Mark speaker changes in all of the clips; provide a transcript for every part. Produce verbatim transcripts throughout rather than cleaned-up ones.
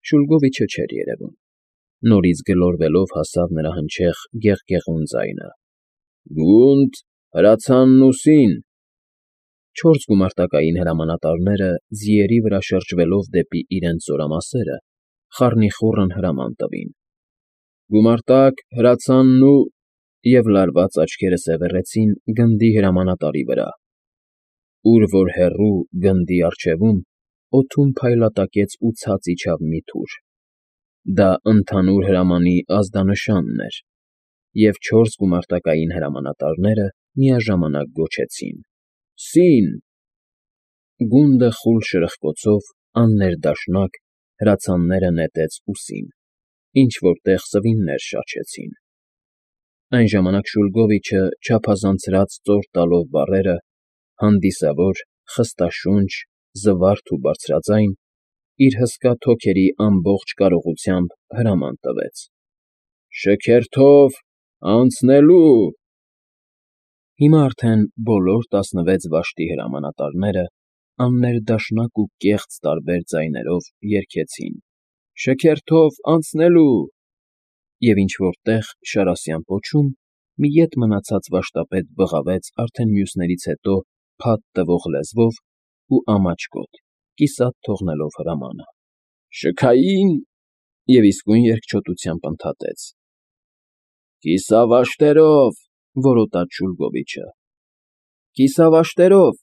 Speaker 1: Շուլգովիչը չէր երևում։ Նորից գլորվելով հասավ նրա հնչեղ գեղգեղուն ձայնը. «Գունդ, հրացանն ու սին»։ Չորս գումարտակային հրամանատարները, ձիերի վրա շրջվելով դեպի իրենց զորամասերը, խառնիխուռն հրաման տվին. «Գումարտակ, հրացանն ու…» և լարված աչքերը սևեռեցին գնդի հրամանատարի վրա։ Ուր որ հեռու, գնդի առջևում, օդում փայլատակեց ու ցած իջավ մի թուր. դա ընդհանուր հրամանի ազդանշանն էր, և չորս գումարտակային հրամանատարները միաժամանակ գոչեցին. «Սին»։ Գունդը խուլ շրխկոցով, աններդաշնակ, հրացանները նետեց ուսին, ինչ֊որ տեղ սվիններ շաչեցին։ Այն ժամանակ Շուլգովիչը, չափազանցրած ծոր տալով բառերը, հանդիսավոր, խստաշունչ, զվարթ ու բարձրաձայն, իր հսկա թոքերի ամբողջ կարողությամբ հրաման տվեց. «Շքերթով… անցնելու»։ Հիմա արդեն բոլոր տասնվեց վաշտի հրամանատարները աններդաշնակ ու կեղծ տարբեր ձայներով երգեցին. «Շքերթով… անցնելու»։ Եվ ինչ֊որ տեղ, շարասյան պոչում, մի ետ մնացած վաշտապետ բղավեց արդեն մյուսներից հետո փաթ տվող լեզվով ու ամաչկոտ, կիսատ թողնելով հրամանը. «Շքային»։ Եվ իսկույն երկչոտությամբ ընդհատեց. «Կիսավաշտերով», որոտաց Շուլգովիչը։ «Կիսավաշտերով»,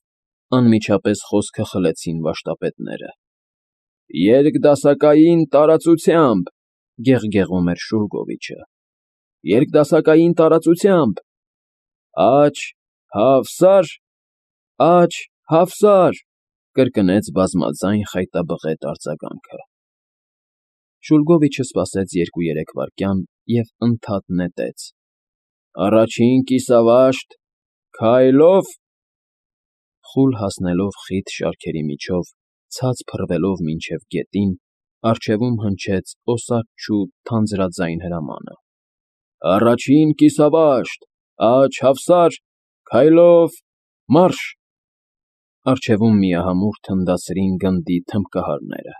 Speaker 1: անմիջապես խոսքը խլեցին վաշտապետները։ «Երկդասակային տարածությամբ», գեղգեղում էր Շուլգովիչը։ «Երկդասակային տարածությամբ»։ «Աջ, հավսա՛ր, աջ, հավսա՛ր», կրկնեց բազմաձայն խայտաբղետ արձագանքը։ Շուլգովիչը սպասեց երկու֊երեք վայրկյան և ընդհատ նետեց. «Առաջին կիսավաշտ… քայլով»։ Խուլ հասնելով խիտ շարքերի միջով, ցած փռվելով մինչև գետին, առջևում հնչեց օսաչու թանձրաձայն հրամանը. «Առաջին կիսավաշտ… աջ, հավսա՛ր, քայլով… մարշ»։ Առջևում միահամուռ թնդացրին գնդի թմբկահարները։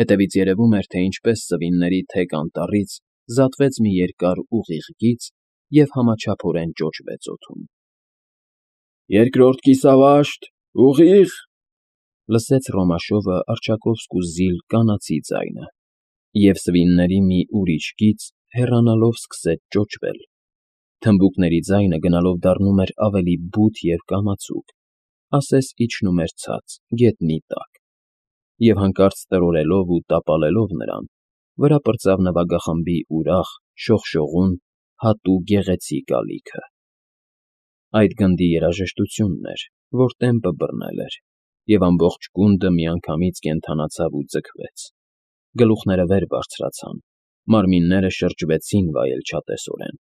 Speaker 1: Հետևից երևում էր, թե ինչպես սվինների թեք անտառից զատվեց մի երկար ուղիղ գիծ և համաչափորեն ճոճվեց օդում։ «Երկրորդ կիսավաշտ… ուղիղ»։ Լսեց Ռոմաշովը առջակովսկու զիլ կանացի ձայնը, և սվինների մի ուրիշ գիծ հեռանալով սկսեց ճոճվել, թմբուկների ձայնը գնալով դառնում էր ավելի բութ և կամացուկ, ասես իջնում էր ցած, գետնի տակ, և հանկարծ տրորելով ու տապալելով նրան, վրա պրծավ նվագախմբի ուրախ, շողշողուն, հատու գեղեցիկ ալիքը։ Այդ գնդի երաժշտությունն էր, որ տեմպը բռնել էր, և ամբողջ գունդը միանգամից կենդանացավ ու ձգվեց, գլուխները վեր բարձրացան, մարմինները շրջվեցին վայելչատեսորեն,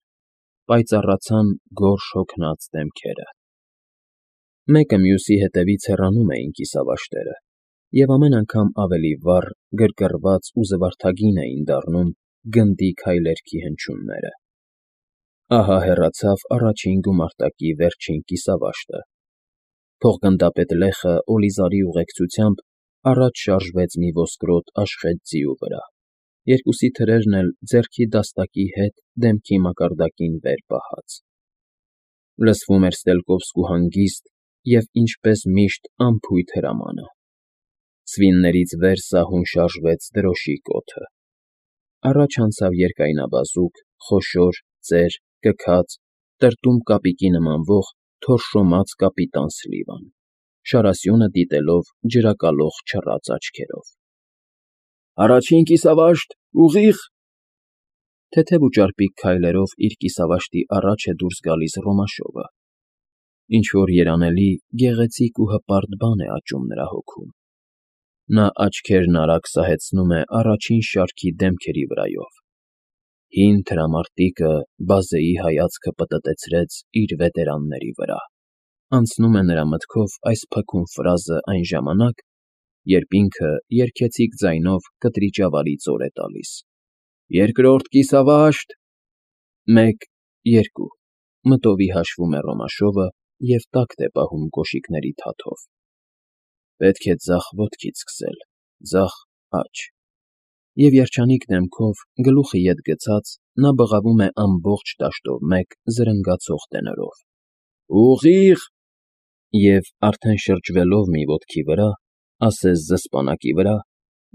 Speaker 1: պայծառացան գորշ հոգնած դեմքերը։ Մեկը մյուսի հետևից հեռանում էին կիսավաշտերը, և ամեն անգամ ավելի վառ, գրգռված ու զվարթագին էին դառնում գնդի քայլերգի հնչյունները։ Ահա հեռացավ առաջին գումարտակի վերջին կիսավաշտը։ Փողգնդապետ Լեխը Օլիզարի ուղեկցությամբ առաջ շարժվեց մի ոսկրոտ աշխատ ձիու վրա, երկուսի թրերն էլ ձեռքի դաստակի հետ դեմքի մակարդակին վեր պահած։ Լսվում էր Ստելկովսկու հանգիստ և, ինչպես միշտ, անփույթ հրամանը։ Սվիններից վեր սահուն շարժվեց դրոշի կոթը։ Առաջ անցավ երկայնաբազուկ, խոշոր, ծեր, կքած, տրտում կապիկի նմանվող թորշոմած կապիտան Սլիվան, շարասյունը դիտելով ջրակալող չռած աչքերով։ «Առաջին կիսավաշտ… ուղիղ»։ Թեթև ու ճարպիկ քայլերով իր կիսավաշտի առաջ է դուրս գալիս Ռոմաշովը։ Ինչ֊որ երանելի, գեղեցիկ ու հպարտ բան է աճում նրա հոգում։ Նա աչքերն արագ սահեցնում է առաջին շարքի դեմքերի վրայով։ Հին թրամարտիկը բազեի հայացքը պտտեցրեց իր վետերանների վրա, անցնում է նրա մտքով այս փքուն ֆրազը այն ժամանակ, երբ ինքը երգեցիկ ձայնով կտրիճավարի ծոր է տալիս. «Երկրորդ կիսավաշտ…»։ «Մեկ, երկու», մտովի հաշվում է Ռոմաշովը և տակտ է պահում կոշիկների թաթով։ Պետք է ձախ ոտքից սկսել, ձախ աջ։ և երջանիկ դեմքով, գլուխը ետ գցած, նա բղավում է ամբողջ դաշտով մեկ զրնգացող տենորով. «Ուղի՜ղ»։ Եվ արդեն շրջվելով մի ոտքի վրա, ասես զսպանակի վրա,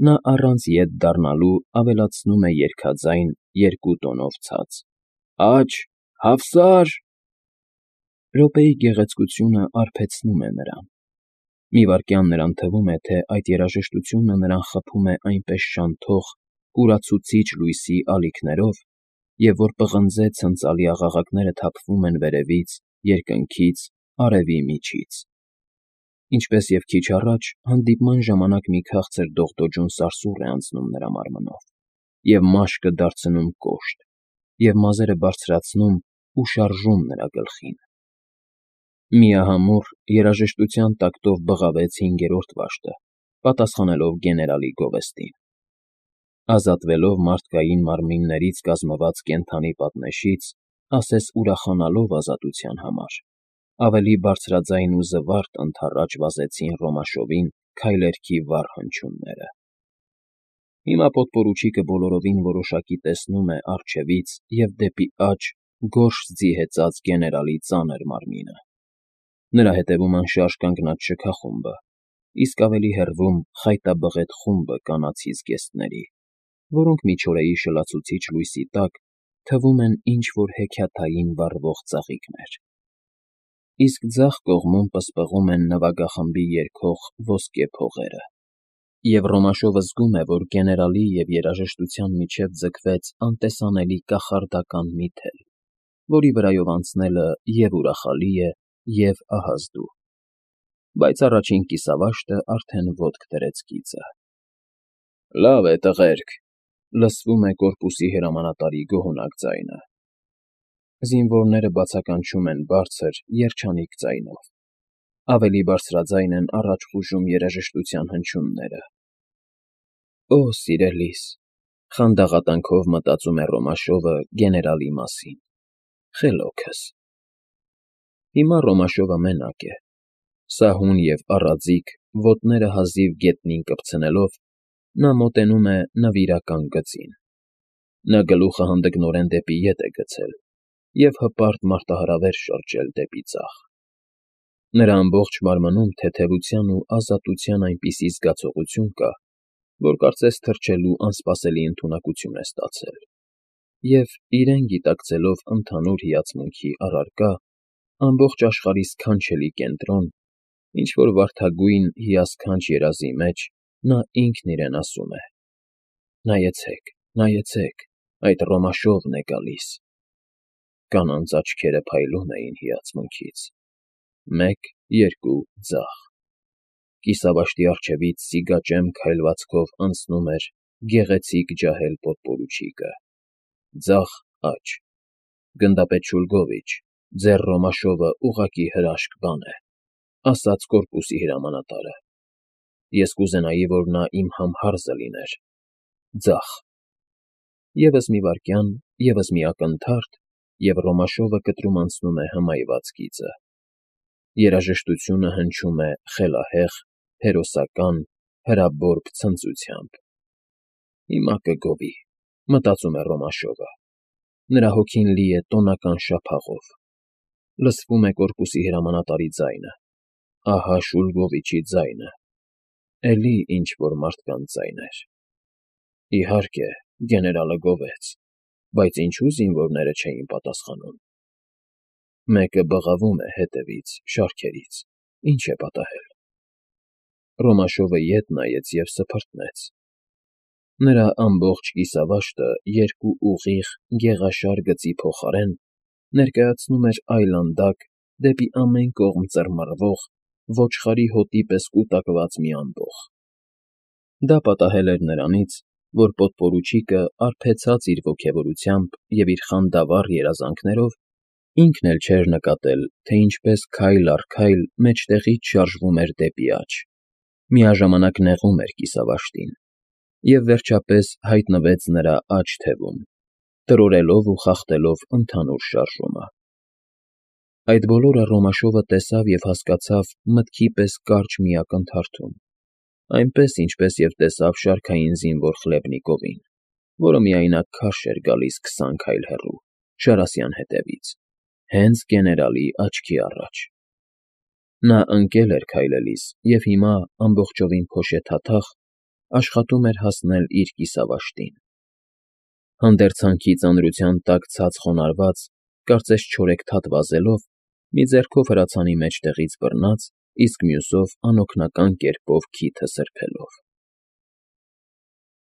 Speaker 1: նա առանց ետ դառնալու ավելացնում է երգաձայն երկու տոնով ցած. «Աջ, հավսա՜ր»։ Րոպեի գեղեցկությունը արբեցնում է նրան։ Մի վայրկյան նրան թվում է, թե այդ երաժշտությունը նրան խփում է այնպես շանթող, կուրացուցիչ լույսի ալիքներով, և որ պղնձե ցնծալի աղաղակները թափվում են վերևից, երկնքից, արևի միջից։ Ինչպես և քիչ առաջ, հանդիպման ժամանակ մի քաղցր դողդոջուն սարսուռ է անցնում նրա մարմնով, և մաշկը դարձնում կոշտ, և մազերը բարձրացնում ու շարժում նրա գլխին։ Միահամուռ, երաժշտության տակտով բղավեց հինգերորդ վաշտը, պատասխանելով գեներալի գովեստին։ Ազատվելով մարդկային մարմիններից կազմված կենդանի պատնեշից, ասես ուրախանալով ազատության համար, ավելի բարձրաձայն ու զվարթ ընդառաջ վազեցին Ռոմաշովին քայլերթի վառ հնչյունները։ Հիմա պոդպորուչիկը բոլորովին որոշակի տեսնում է առջևից և դեպի աջ գորշ ձի հեծած գեներալի ծանր մարմինը։ Նրա հետևում անշարժ կանգնած շքախումբը, իսկ ավելի հեռվում խայտաբղետ խումբը կանացի զգեստների, որոնք միջօրեի շլացուցիչ լույսի տակ թվում են ինչ֊որ հեքիաթային վառվող ծաղիկներ։ Իսկ ձախ կողմում պսպղում են նվագախմբի երգող ոսկե փողերը, և Ռոմաշովը զգում է, որ գեներալի և երաժշտության միջև ձգվեց անտեսանելի կախարդական մի թել, որի վրայով անցնելը և՛ ուրախալի է, և՛ ահազդու։ Բայց առաջին կիսավաշտը արդեն ոտք դրեց գիծը։ «Լավ է, տղերք», լսվում է կորպուսի հրամանատարի գոհոնակ ձայնը։ Զինվորները բացականչում են բարձր, երջանիկ ձայնով։ Ավելի բարձրաձայն են առաջ խուժում երաժշտության հնչյունները։ «Օ, սիրելիս», խանդաղատանքով մտածում է Ռոմաշովը գեներալի մասին, խելոքս։ Հիմա Ռոմաշովը մենակ է։ Սահուն և առաձիկ, ոտները հազիվ գետնին կպցնելով, նա մոտենում է նվիրական գծին։ Նա գլուխը հանդգնորեն դեպի ետ է գցել և հպարտ մարտահրավեր շրջել դեպի ձախ։ Նրա ամբողջ մարմնում թեթևության ու ազատության այնպիսի զգացողություն կա, որ կարծես թռչելու անսպասելի ընդունակություն է ստացել, և, իրեն գիտակցելով ընդհանուր հիացմունքի առարկա, ամբողջ աշխարհի սքանչելի կենտրոն, ինչ֊որ վարդագույն, հիասքանչ երազի մեջ, նա ինքն իրեն ասում է. «Նայեցեք, նայեցեք, այդ Ռոմաշովն է գալիս»։ Կանանց աչքերը փայլում էին հիացմունքից։ Մեկ, երկու, ձախ։ Կիսավաշտի առջևից սիգաճեմ քայլվածքով անցնում էր գեղեցիկ ջահել պոդպորուչիկը։ Ձախ, աջ։ «Գնդապետ Շուլգովիչ, ձեր Ռոմաշովը ուղղակի հրաշք բան է», ասաց կորպուսի հրամանատարը։ «Ես կուզենայի, որ նա իմ համհարզը լիներ»։ Ձախ։ Եվս մի վայրկյան, ևս մի ակնթարթ, և Ռոմաշովը կտրում անցնում է հմայված գիծը։ Երաժշտությունը հնչում է խելահեղ, հերոսական, հրաբորբ ցնծությամբ։ «Հիմա կգովի», մտածում է Ռոմաշովը։ Նրա հոգին լի է տոնական շափաղով։ Լսվում է կորպուսի հրամանատարի ձայնը։ Ահա Շուլգովիչի ձայնը։ Էլի ինչ֊որ մարդկանց ձայներ։ Իհարկե, գեներալը գովեց, բայց ինչո՞ւ զինվորները չէին պատասխանում։ Մեկը բղավում է հետևից, շարքերից, ի՞նչ է պատահել։ Ռոմաշովը ետ նայեց և սփռտնեց։ Նրա ամբողջ կիսավաշտը երկու ուղիղ, գեղաշար գծի փոխարեն ներկայացնում էր այլանդակ, դեպի ամեն կողմ ծռմռվող, ոչխարի հոտի պես կուտակված մի ամբոխ։ Դա պատահել էր նրանից, որ պոդպորուչիկը, արբեցած իր ոգևորությամբ և իր խանդավառ երազանքներով, ինքն էլ չէր նկատել, թե ինչպես քայլ առ քայլ մեջտեղից շարժվում էր դեպի աջ, միաժամանակ նեղում էր կիսավաշտին, և վերջապես հայտնվեց նրա աջ թևում, տրորելով ու խախտելով ընդհանուր շարժումը։ Այդ բոլորը Ռոմաշովը տեսավ և հասկացավ մտքի պես կարճ մի ակնթարթում, Այնպես, ինչպես և տեսավ շարքային զինվոր Խլեբնիկովին, որը միայնակ քարշ էր գալիս քսան քայլ հեռու, Շարասյան հետևից, հենց գեներալի աչքի առաջ. նա ընկել էր քայլելիս և հիմա, ամբողջովին փոշեթաթախ, աշխատում էր հասնել իր կիսավաշտին. հանդերձանքի ծանրության տակ ցած խոնարհված, կարծես չորեքթաթ վազելով, մի ձեռքով հրացանի մեջտեղից բռնած, իսկ մյուսով անօգնական կերպով քիթը սրբելով։